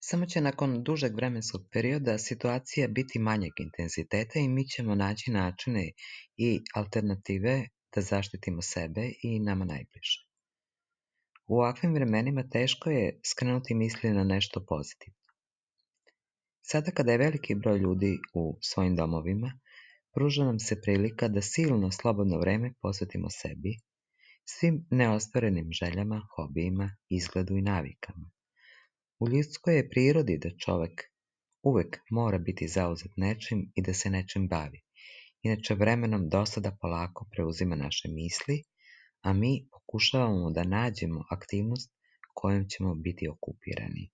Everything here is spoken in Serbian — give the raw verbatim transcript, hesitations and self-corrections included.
Samo će nakon dužeg vremenskog perioda situacija biti manjeg intenziteta i mi ćemo naći načine i alternative da zaštitimo sebe i nama najbliže. U ovakvim vremenima teško je skrenuti misli na nešto pozitivno. Sada kada je veliki broj ljudi u svojim domovima, pruža nam se prilika da silno slobodno vreme posvetimo sebi, svim neostvarenim željama, hobijima, izgledu i navikama. U ljudskoj je prirodi da čovek uvek mora biti zauzet nečim i da se nečim bavi. Inače, vremenom dosada polako preuzima naše misli, a mi pokušavamo da nađemo aktivnost kojom ćemo biti okupirani.